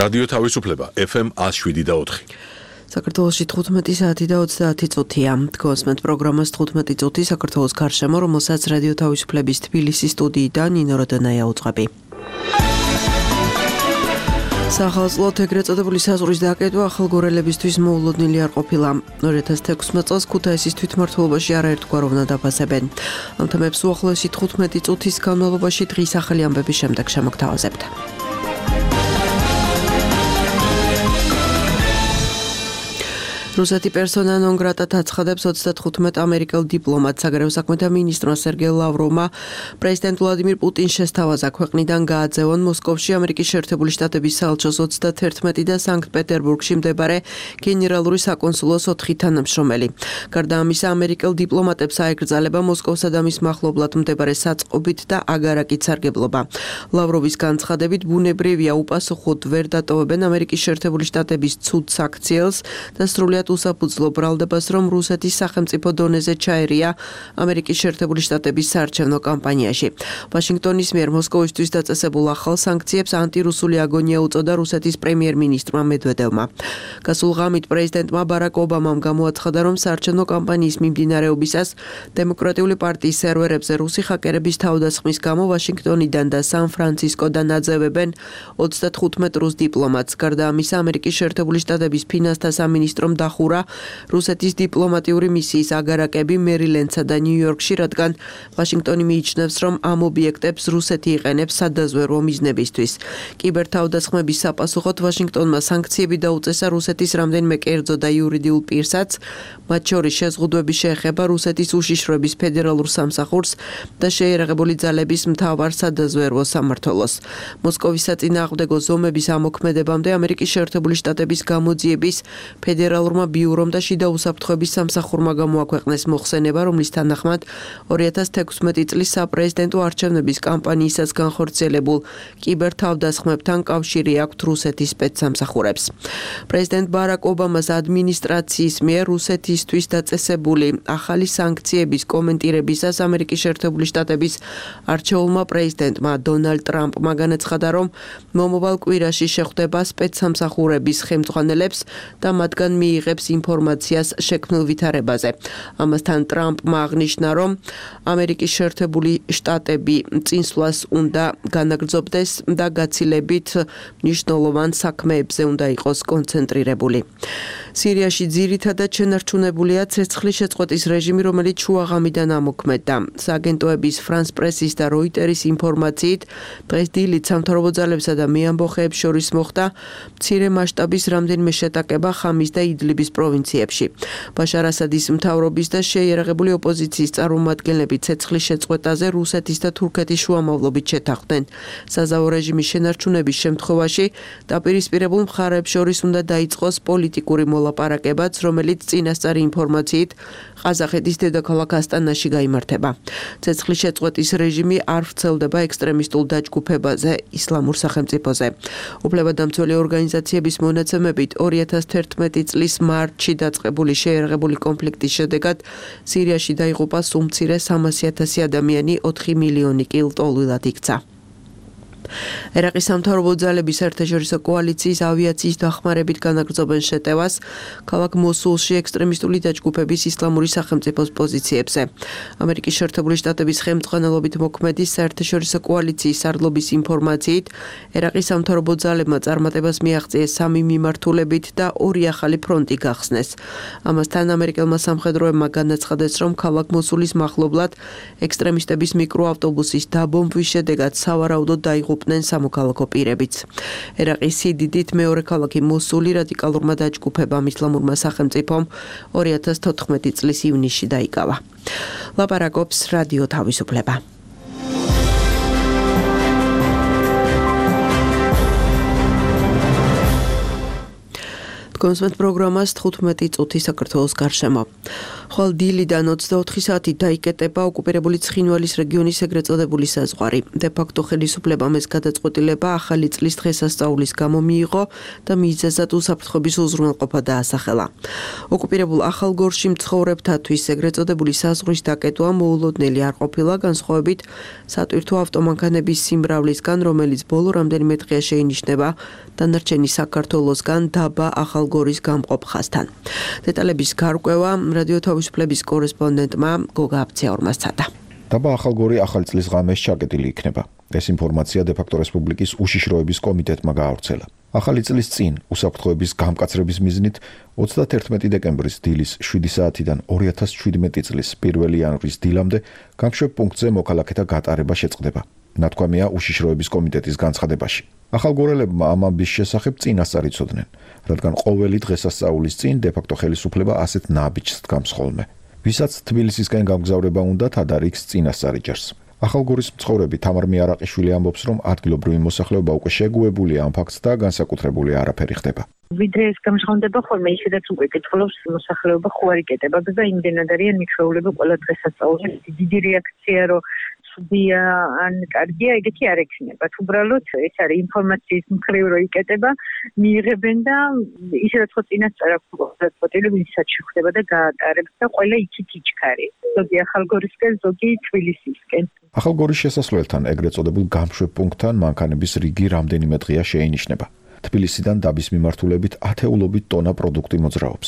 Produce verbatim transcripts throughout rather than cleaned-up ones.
რადიო თავისუფლება ეფ ემ one oh seven და four. საქართველოში თხუთმეტი საათი და ოცდაათი წუთია. თქვენს პროგრამას თხუთმეტი წუთი საქართველოს გარშემო, რომელსაც რადიო თავისუფლების თბილისის სტუდიიდან ნინო როდონაია უძღვები. სახალხოდ ეგრეთ წოდებული საზღვრის დაკეტვა ახალგორელებისთვის მოულოდნელი არ ყოფილა. ორი ათას თექვსმეტ წელს ქუთაისის თვითმმართველობაში არაერთგვაროვნად აფასებენ. ამ თემებს უახლოესი თხუთმეტი წუთის განმავლობაში დღის ახალი ამბების შემდეგ შემოგთავაზებთ. რუსეთი პერსონა ნონ გრატად აცხადებს ოცდათხუთმეტ ამერიკელ დიპლომატს. საგარეო საქმეთა მინისტრმა სერგეი ლავროვმა პრეზიდენტ ვლადიმირ პუტინს შესთავაზა ქვეყნიდან გააძევონ მოსკოვში ამერიკის შეერთებული შტატების საელჩოს ოცდათერთმეტი და სანქტ-პეტერბურგში მდებარე გენერალური საკონსულოს ოთხი თანამშრომელი. გარდა ამისა, ამერიკელ დიპლომატებს აეკრძალება მოსკოვსა და მის მახლობლად მდებარე საწყობით და აგარაკით სარგებლობა. ლავროვის განცხადებით, ბუნებრივია უპასუხოდ ვერ დატოვებენ ამერიკის შეერთებული შტატების ცუდ საქციელს და სრულად უსაფუძვლო ბრალდებას, რომ რუსეთის სახელმწიფო დონეზე ჩაერია ამერიკის შეერთებული შტატების საარჩევნო კამპანიაში. ვაშინგტონის მიერ მოსკოვისთვის დაწესებულ ახალ სანქციებს ანტირუსული აგონია უწოდა რუსეთის პრემიერ-მინისტრმა მედვედევმა. გასულ ღამით პრეზიდენტმა ბარაკ ობამამ გამოაცხადა, რომ საარჩევნო კამპანიის მიმდინარეობისას დემოკრატიული პარტიის სერვერებზე რუსი ჰაკერების თავდასხმის გამო ვაშინგტონიდან და სან-ფრანცისკოდან აძევებენ ოცდათხუთმეტ რუს დიპლომატს. გარდა ამისა, ამერიკის შეერთებული შტატების ფინანსთა სამინისტრომ ხურა რუსეთის დიპლომატიური მისიის აგარაკები მერილენდსა და ნიუ-იორკში, რადგან ვაშინგტონი მიიჩნევს, რომ ამ ობიექტებს რუსეთი იყენებს სადაზვერვო მიზნებისთვის. კიბერთავდასხმების საპასუხოდ ვაშინგტონმა სანქციები დაუწესა რუსეთის რამდენიმე კერძო და იურიდიულ პირსაც, მათ შორის შეზღუდვები შეეხება რუსეთის უშიშროების ფედერალურ სამსახურს და შეიარაღებული ძალების მთავარ სადაზვერვო სამმართველოს. მოსკოვის საწინააღმდეგო ზომების ამოქმედებამდე ამერიკის შეერთებული შტატების გამოძიების ფედერალურ ბიურომ და შიდა უსაფრთხოების სამსახურმა გამოაქვეყნეს მოხსენება, რომლის თანახმად ორი ათას თექვსმეტი წლის საპრეზიდენტო არჩევნების კამპანიისას განხორციელებულ კიბერთავდასხმებთან კავშირი აქვთ რუსეთის სპეცსამსახურებს. პრეზიდენტ ბარაკ ობამას ადმინისტრაციის მიერ რუსეთისთვის დაწესებული ახალი სანქციების კომენტირებისას ამერიკის შეერთებული შტატების არჩეულმა პრეზიდენტმა დონალდ ტრამპმა განაცხადა, რომ მომავალ კვირაში შეხვდება სპეცსამსახურების ხელმძღვანელებს და მათგან მიიღებს ინფორმაციას შექმნილ ვითარებაზე. ამასთან ტრამპმა აღნიშნა, რომ ამერიკის შეერთებული შტატები წინსვლას უნდა განაგრძობდეს და გაცილებით მნიშვნელოვან საქმეებზე უნდა იყოს კონცენტრირებული. სირიაში ძირითადად შენარჩუნებულია ცეცხლის შეწყვეტის რეჟიმი, რომელიც შუაღამიდან ამოქმედდა. სააგენტოების ფრანს პრესის და როიტერის ინფორმაციით, დღეს დილით სამთავრობო ძალებსა და მეამბოხეებს შორის მოხდა მცირე მასშტაბის რამდენიმე შეტაკება ხამის და იდლიბის პროვინციებში. ბაშარ ასადის მთავრობის და შეიარაღებული ოპოზიციის წარმომადგენლები ცეცხლის შეწყვეტაზე რუსეთის და თურქეთის შუამავლობით შეთანხმდნენ. საზავო რეჟიმის შენარჩუნების შემთხვევაში დაპირისპირებულ მხარეებს შორის უნდა დაიწყოს პოლიტიკური მოლაპარაკებაც, რომელიც წინასწარი ინფორმაციით ყაზახეთის დედაქალაქ ასტანაში გაიმართება. ცეცხლის შეწყვეტის რეჟიმი არ ვრცელდება ექსტრემისტულ დაჯგუფებაზე ისლამურ სახელმწიფოზე. უფლებადამცველი ორგანიზაციების მონაცემებით ორი ათას თერთმეტი წლის მარტში დაწყებული შეიარაღებული კონფლიქტის შედეგად სირიაში დაიღუპა სულ მცირე სამასი ათასი ადამიანი, ოთხი მილიონი კი ლტოლვილად იქცა. ერაყის სამთავრობო ძალების საერთაშორისო კოალიციის ავიაციის დახმარებით განაგრძობენ შეტევას ქალაქ მოსულში ექსტრემისტული დაჯგუფების ისლამური სახელმწიფოს პოზიციებზე. ამერიკის შეერთებული შტატების ხელმძღვანელობით მოქმედი საერთაშორისო კოალიციის სარდლობის ინფორმაციით, ერაყის სამთავრობო ძალებმა წარმატებას მიაღწიეს სამი მიმართულებით და ორი ახალი ფრონტი გახსნეს. ამასთან ამერიკელმა სამხედროებმა განაცხადეს, რომ ქალაქ მოსულის მახლობლად ექსტრემისტების მიკროავტობუსის დაბომბვის შედეგად სავარაუდოდ დაიღუპნენ სამოქალაქო პირებიც. ერაყის სიდიდით მეორე ქალაქი მოსული რადიკალურმა დაჯგუფებამ ისლამურმა სახელმწიფომ ორი ათას თოთხმეტი წლის ივნისში დაიკავა. ლაპარაკობს რადიო თავისუფლება. კონსვენტ პროგრამას თხუთმეტი წუთი საქართველოს გარშემო. ხვალ დილიდან ოცდაოთხი საათი დაიკეტება ოკუპირებული ცხინვალის რეგიონის ეგრეთ წოდებული საზღვარი. დე-ფაქტო ხელისუფლებამ ეს გადაწყვეტილება ახალი წლის დღესასწაულის გამო მიიღო და მიზეზად უსაფრთხოების უზრუნველყოფა დაასახელა. ოკუპირებულ ახალგორში მცხოვრებთათვის ეგრეთ წოდებული საზღვრის დაკეტვა მოულოდნელი არ ყოფილა, განსხვავებით სატვირთო ავტომანქანების სიმრავლისგან, რომელიც ბოლო რამდენიმე დღეა შეინიშნება დანარჩენი საქართველოსგან დაბა ახალგორის გამყოფ ხაზთან. დეტალების გარკვევა რადიო თავისუფლების კორესპონდენტმა გოგა აბცეაურმა სცადა. დაბა ახალგორი ახალი წლის ღამეს ჩაკეტილი იქნება. ეს ინფორმაცია დე-ფაქტო რესპუბლიკის უშიშროების კომიტეტმა გაავრცელა. ახალი წლის წინ უსაფრთხოების გამკაცრების მიზნით ოცდაათერთმეტი დეკემბრის დილის შვიდი საათიდან ორი ათას ჩვიდმეტი წლის პირველი იანვრის დილამდე გამშვებ პუნქტზე მოქალაქეთა გატარება შეწყდება. ნათქვამია უშიშროების კომიტეტის განცხადებაში. ახალგორელებმა ამ ამბის შესახებ წინასწარ იცოდნენ, რადგან ყოველი დღესასწაულის წინ დე-ფაქტო ხელისუფლება ასეთ ნაბიჯს დგამს ხოლმე. ვისაც თბილისისკენ გამგზავრება უნდათ, ადარიქს წინასწარ იჯერს. ახალგორის მცხოვრები თამარ მიარაყიშვილი ამბობს, რომ ადგილობრივი მოსახლეობა უკვე შეგუებულია ამ ფაქტს და განსაკუთრებული არაფერი ხდება. ვიდრე ეს გამჟღავნდება ხოლმე, ისედაც უკვე კითხულობს მოსახლეობა ხო არ იკეტებოდა და იმდენად არიან მიჩვეულები ყველა დღესასწაულზე. დიდი რეაქცია რომ ცუდია ან კარგია, ეგეთი არ ექნებათ. უბრალოდ ეს არის ინფორმაციის მხრივ რო იკეტება, მიიღებენ და ისედაც ხო წინასწარ აქვს გადაწყვეტილება, ვისაც შეხვდება და გაატარებს და ყველა იქით იჩქარი. ზოგი ახალგორისკენ, ზოგი თბილისისკენ. ახალგორის შესასვლელთან, ეგრეთ წოდებულ გამშვებ პუნქტთან მანქანების რიგი რამდენიმე დღეა შეინიშნება. თბილისიდან დაბის მიმართულებით ათეულობით ტონა პროდუქტი მოძრაობს.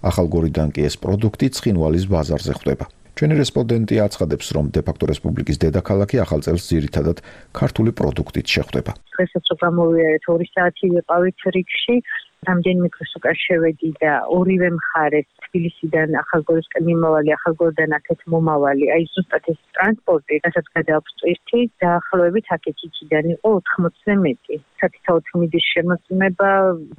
ახალგორიდან კი ეს პროდუქტი ცხინვალის ბაზარზე ხვდება. ჩვენი რესპონდენტი აცხადებს, რომ დე-ფაქტო რესპუბლიკის დედაქალაქი ახალ წელს ძირითადად ქართული პროდუქტით შეხვდება. დღესაც გამოვიარეთ ორი საათი ვიყავით რიგში, რამდენიმე დღეს უკან შევედი და ორივე მხარეს თბილისიდან ახალგორისკენ მიმავალი, ახალგორიდან აქეთ მომავალი, აი ზუსტად ეს ტრანსპორტი, რასაც გადააქვს ტვირთი, დაახლოებით აქეთ-იქიდან იყო ოთხმოცზე მეტი. სათითაოდ მიდის შემოწმება,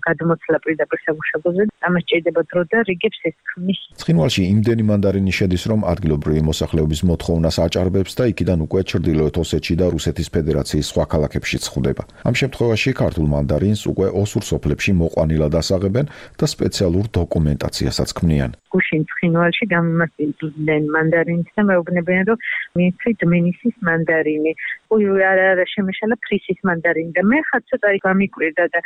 გადმოცლა პირდაპირ სამუშაოზე, ამას ჭირდება დრო და რიგებს ეს ქმნის. ცხინვალში იმდენი მანდარინი შედის, რომ ადგილობრივი მოსახლეობის მოთხოვნას აჭარბებს და იქიდან უკვე ჩრდილოეთ ოსეთში და რუსეთის ფედერაციის სხვა ქალაქებშიც ხვდება. ამ შემთხვევაში ქართულ მანდარინს უკვე ოსურ სოფლებში მოყვანილად ასაღებენ და სპეციალურ დოკუმენტაციასაც ქმნიან. გუშინ ცხინვალში გამომასწორებენ მანდარინს და მეუბნებიან, რომ მითი დმენისის მანდარინი, ой, არა, არა, შემეშალა ფრისის მანდარინი და მე ხაც ცოტა გამიკვირდა და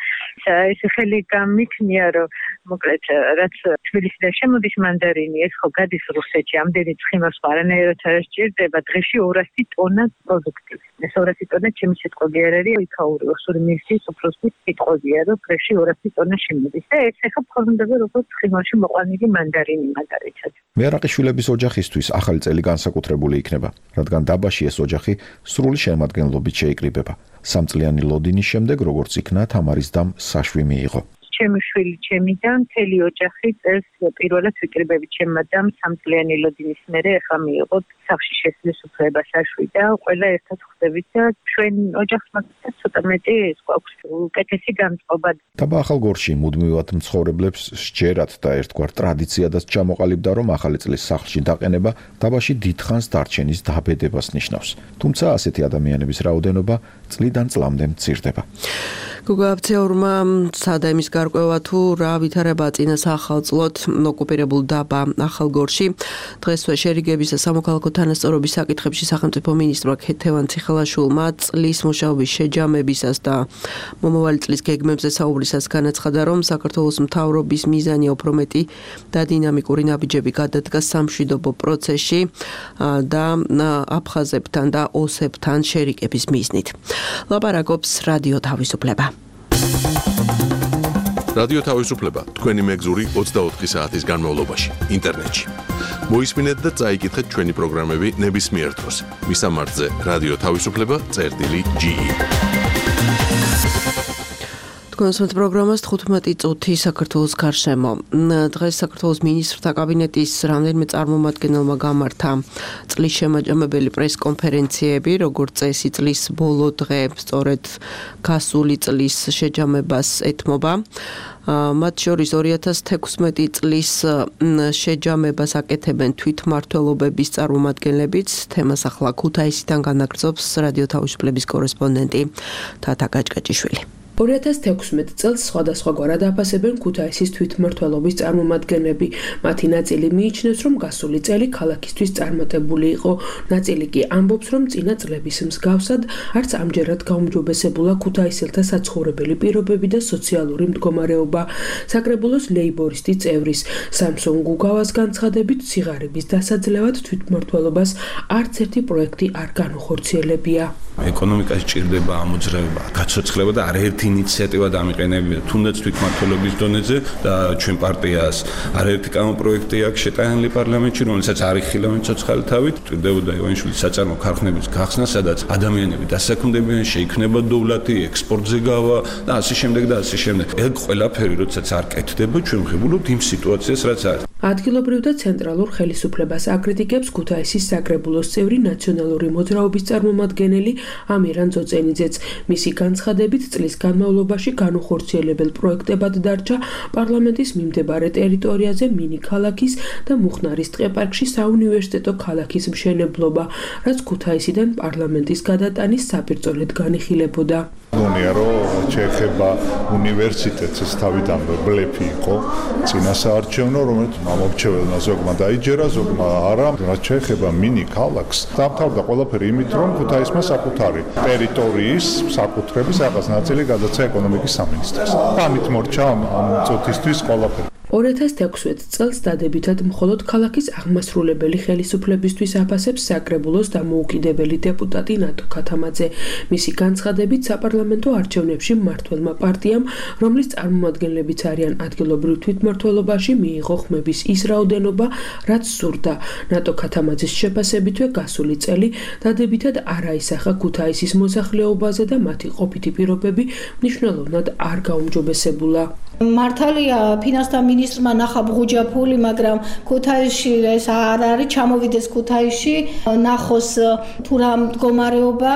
ეს ხელი გამიქნია, რომ მოკლედ რაც თბილისიდან შემოდის მანდარინი, ეს ხო გადის რუსეთში, ამდენი ცხინვალს არანაირად არ სჭირდება, დღეში ორასი ტონა პროდუქტი. ეს ორასი ტონა ჩემი სიტყვები არ არის, იქაური ოსური მინისტრის უფროსის სიტყვებია, რომ დღეში ორასი ტონა შემოდის და ეს ახლა ფორმდება როგორც ცხინვალში მოყვანილი მანდარინი მაგალითად. მიარაყიშვილების ოჯახისთვის ახალი წელი განსაკუთრებული იქნება, რადგან დაბაში ეს ოჯახი სრული შემადგენლობით შეიკრიბება. სამწლიანი ლოდინის შემდეგ, როგორც იქნა, თამარის დამ საშვი მიიღო. ჩემი შვილი, ჩემი და მთელი ოჯახი წელს პირველად ვიკრიბებით ჩემმა დამ სამწლიანი ლოდინის მერე ახლა მიიღო სახლში შესვლის უფლება საშვი და ყველა ერთად ხვდებით და ჩვენ ოჯახს მაგალითად ცოტა მეტი ეს გვაქვს უკეთესი განწყობა. დაბა ახალგორში მუდმივად მცხოვრებლებს სჯერათ და ერთგვარ ტრადიციადაც ჩამოყალიბდა, რომ ახალი წლის სახლში დაყენება დაბაში დიდხანს დარჩენის დაბედებას ნიშნავს. თუმცა ასეთი ადამიანების რაოდენობა წლიდან წლამდე მცირდება. გოგა აბცეაურმა სცადა იმის გარკვევა თუ რა ვითარება წინა სახელმწიფოდ ოკუპირებულ დაბა ახალგორში. დღესვე შერიგების და სამოქალაქო თანასწორობის საკითხებში სახელმწიფო მინისტრმა ქეთევან ციხელაშვილმა წლის მუშაობის შეჯამებისას და მომავალი წლის გეგმებზე საუბრისას განაცხადა, რომ საქართველოს მთავრობის მიზანია უფრო მეტი და დინამიკური ნაბიჯები გადადგა სამშვიდობო პროცესში და აფხაზებთან და ოსებთან შერიგების მიზნით. ლაპარაკობს რადიო თავისუფლება. რადიო თავისუფლება თქვენი მეგზური ოცდაოთხი საათის განმავლობაში ინტერნეტში. მოისმინეთ და წაიკითხეთ ჩვენი პროგრამები ნებისმიერ დროს. მისამართზე რადიო თავისუფლება წერტილი ჯი ი. კონსვენტ პროგრამას თხუთმეტი წუთი საქართველოს გარშემო. დღეს საქართველოს მინისტრთა კაბინეტის რამდენიმე წარმომადგენელმა გამართა წლის შემაჯამებელი პრესკონფერენციები, როგორც წესი წლის ბოლო დღე სწორედ გასული წლის შეჯამებას ეთმობა. მათ შორის ორი ათას თექვსმეტი წლის შეჯამებას აკეთებენ თვითმმართველობების წარმომადგენლებიც. თემას ახლა ქუთაისიდან განაგრძობს რადიო თავისუფლების კორესპონდენტი თათა გაჭკაჭიშვილი. ორი ათას თექვსმეტ წელს სხვადასხვაგვარად აფასებენ ქუთაისის თვითმმართველობის წარმომადგენლები. მათი ნაწილი მიიჩნევს, რომ გასული წელი ქალაქისთვის წარმატებული იყო. ნაწილი კი ამბობს, რომ წინა წლების მსგავსად არც ამჯერად გაუმჯობესებულა ქუთაისელთა საცხოვრებელი პირობები და სოციალური მდგომარეობა. საკრებულოს ლეიბორისტი წევრის სამსონ გუგავას განცხადებით, სიღარიბის დასაძლევად თვითმმართველობას არც ერთი პროექტი არ განუხორციელებია. ეკონომიკაში ჭირდება ამოძრავება, გაცოცხლება და არაერთი ინიციატივა დამიყენებია თუნდაც თვითმმართველობის დონეზე და ჩვენ პარტიას არაერთი კამოპროექტი აქვს შეტანილი პარლამენტში, რომელსაც არ იხილავენ ცოცხალი თავით, ჭირდებოდა ივანიშვილის საწარმო ქარხნების გახსნა, სადაც ადამიანები დასაქმდებიან, შეიქმნება დოვლათი, ექსპორტზე გავა და ასე შემდეგ და ასე შემდეგ. ეგ ყველაფერი როდესაც არ კეთდება, ჩვენ ვღებულობთ იმ სიტუაციას, რაც არის. ადგილობრივ და ცენტრალურ ხელისუფლებას აკრიტიკებს ქუთაისის საკრებულოს წევრი ნაციონალური მოძრაობის წარმომადგენელი ამირან ძოწენიძეც. მისი განცხადებით, წლის განმავლობაში განუხორციელებელ პროექტებად დარჩა პარლამენტის მიმდებარე ტერიტორიაზე მინი ქალაქის და მუხნარის ტყეპარკში საუნივერსიტეტო ქალაქის მშენებლობა, რაც ქუთაისიდან პარლამენტის გადატანის საპირწონედ განიხილებოდა. გონია რომ შეეხება უნივერსიტეტს ეს თავიდანვე ბლეფი იყო წინასაარჩევნო, რომელიც მომრჩეველმა ზოგმა დაიჯერა, ზოგმა არა. რაც შეეხება მინი ქალაქს, დამთავრდა ყველაფერი იმით, რომ ქუთაისმა საკუთარი ტერიტორიის საკუთრების რაღაც ნაწილი გადაცა ეკონომიკის სამინისტროს. ამით მორჩა ამ წუთისთვის ყველაფერი. ორი ათას თექვსმეტ წელს დადებითად მხოლოდ ქალაქის აღმასრულებელი ხელისუფლებისთვის აფასებს საკრებულოს დამოუკიდებელი დეპუტატი ნატო ქათამაძე. მისი განცხადებით, საპარლამენტო არჩევნებში მმართველმა პარტიამ, რომლის წარმომადგენლებიც არიან ადგილობრივ თვითმმართველობაში, მიიღო ხმების ის რაოდენობა, რაც სურდა. ნატო ქათამაძის შეფასებითვე გასული წელი დადებითად არ აისახა ქუთაისის მოსახლეობაზე და მათი ყოფითი პირობები მნიშვნელოვნად არ გაუმჯობესებულა. მართალია ფინანსთა მინისტრმა ნახა ბღუჯაფული, მაგრამ ქუთაისში ეს არ არის, ჩამოვიდეს ქუთაისში, ნახოს თუ რა მდგომარეობა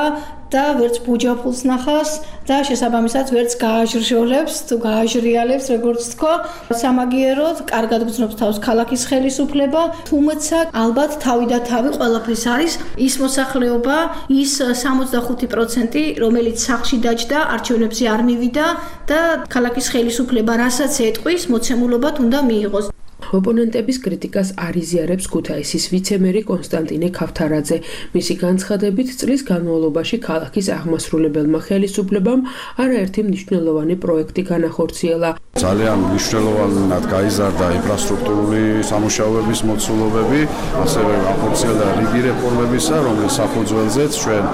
და ვერც ბუჯაფულს ნახავს და შესაბამისად ვერც გააჟრჟოლებს თუ გააჟრიალებს, როგორც თქვა. სამაგიეროდ კარგად გრძნობს თავს ქალაქის ხელისუფლება, თუმცა ალბათ თავი და თავი ყველაფრის არის ის მოსახლეობა, ის სამოცდახუთი პროცენტი, რომელიც სახლში დაჯდა, არჩევნებზე არ მივიდა და ქალაქის ხელისუფლება რასაც ეტყვის, მოცემულობად უნდა მიიღოს. ოპონენტების კრიტიკას არ იზიარებს ქუთაისის ვიცემერი კონსტანტინე ქავთარაძე. მისი განცხადებით, წლის განმავლობაში ქალაქის აღმასრულებელმა ხელისუფლებამ არაერთი მნიშვნელოვანი პროექტი განახორციელა. ძალიან მნიშვნელოვნად გაიზარდა ინფრასტრუქტურული სამუშაოების მოცულობები, ასევე განხორციელდა რიგი რეფორმებისა, რომლის საფუძველზეც ჩვენ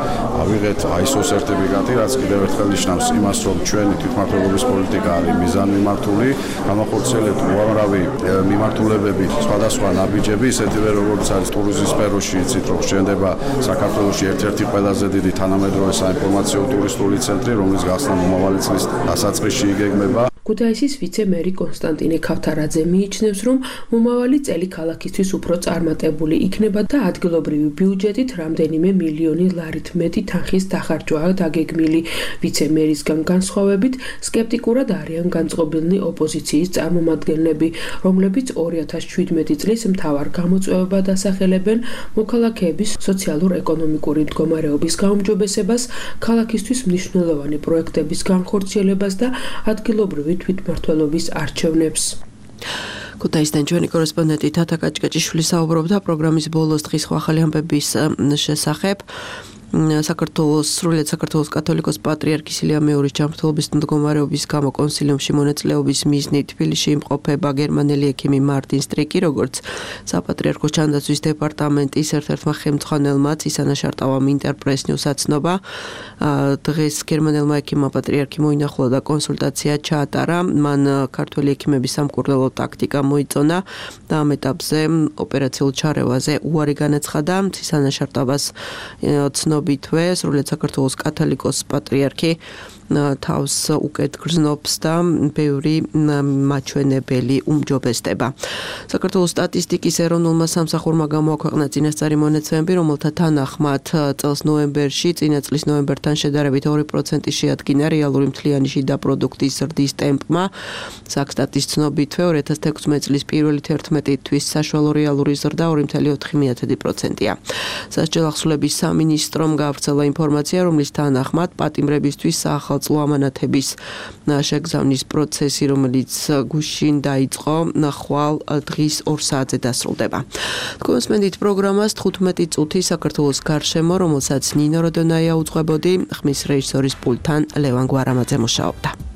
ავიღეთ აი ეს ო სერტიფიკატი, რაც კიდევ ერთხელ ნიშნავს იმას, რომ ჩვენი თვითმმართველობის პოლიტიკა არის მიზანმიმართული, განახორციელებთ უამრავი მიმართულებები, სხვადასხვა ნაბიჯები, ისეთივე როგორც არის ტურიზმის სფეროში, იცით რომ შენდება საქართველოში ერთ-ერთი ყველაზე დიდი თანამედროვე საინფორმაციო ტურისტული ცენტრი, რომლის გახსნა მომავალი წლის დასაწყისში იგეგმება. ქუთაისის ვიცე-მერი კონსტანტინე ქავთარაძე მიიჩნევს, რომ მომავალი წელი ქალაქისთვის უფრო წარმატებული იქნება და ადგილობრივი ბიუჯეტით რამდენიმე მილიონი ლარით მეტი თანხის დახარჯვაა დაგეგმილი. ვიცე-მერისგან განსხვავებით, სკეპტიკურად არიან განწყობილნი ოპოზიციის წარმომადგენლები, რომლებიც ორი ათას შვიდმეტი წლის მთავარ გამოწვევებად ასახელებენ მოქალაქეების სოციალურ-ეკონომიკური მდგომარეობის გაუმჯობესებას, ქალაქისთვის მნიშვნელოვანი პროექტების განხორციელებას და ადგილობრივი თვითმმართველობის არჩევნებს. ქუთაისიდან ჩვენი კორესპონდენტი თათა კაჭკაჭიშვილი საუბრობდა პროგრამის ბოლოს დღის ახალი ამბების შესახებ. საქართველოს სრულიად საქართველოს კათოლიკოს პატრიარქის ილია მეორის ჯანმრთელობის მდგომარეობის გამო კონსილიუმში მონაწილეობის მიზნით თბილისში იმყოფება გერმანელი ექიმი მარტინ სტრიკი, როგორც საპატრიარქოს ჩანდაცვის დეპარტამენტის ერთ-ერთმა ხელმძღვანელმა ცისანა შარტავამ ინტერპრეს ნიუს აცნობა. დღეს გერმანელმა ექიმმა პატრიარქი მოინახულა და კონსულტაცია ჩაატარა. მან ქართველი ექიმების სამკურნალო ტაქტიკა მოიწონა და ამ ეტაპზე ოპერაციულ ჩარევაზე უარი განაცხადა. ცისანა შარტავას ცნობა ბითვე სრულიად საქართველოს კათოლიკოს პატრიარქი თავს უკეთ გრძნობს და ბევრი მაჩვენებელი უმჯობესდება. საქართველოს სტატისტიკის ეროვნულმა სამსახურმა გამოაქვეყნა წინასწარი მონაცემები, რომელთა თანახმად წელს ნოემბერში წინა წლის ნოემბერთან შედარებით ორი პროცენტი შეადგინა რეალური მთლიანი შიდა პროდუქტის ზრდის ტემპმა. საქსტატის ცნობითვე ორი ათას თექვსმეტ წლის პირველი თერთმეტი თვის საშუალო რეალური ზრდა ორი კoma ოთხი პროცენტია. სასჯელ ახსულების სამინისტრომ გაავრცელა ინფორმაცია, რომლის თანახმად პატიმრებისთვის საახალწლო სახალხო ამანათების შეგზავნის პროცესი, რომელიც გუშინ დაიწყო, ხვალ დღის ორ საათზე დასრულდება. თქვენს მენდით პროგრამას თხუთმეტი წუთი საქართველოს გარშემო, რომელსაც ნინო როდონაია უძღვებოდი, ხმის რეჟისორის პულტთან ლევან გვარამაძე მუშაობდა.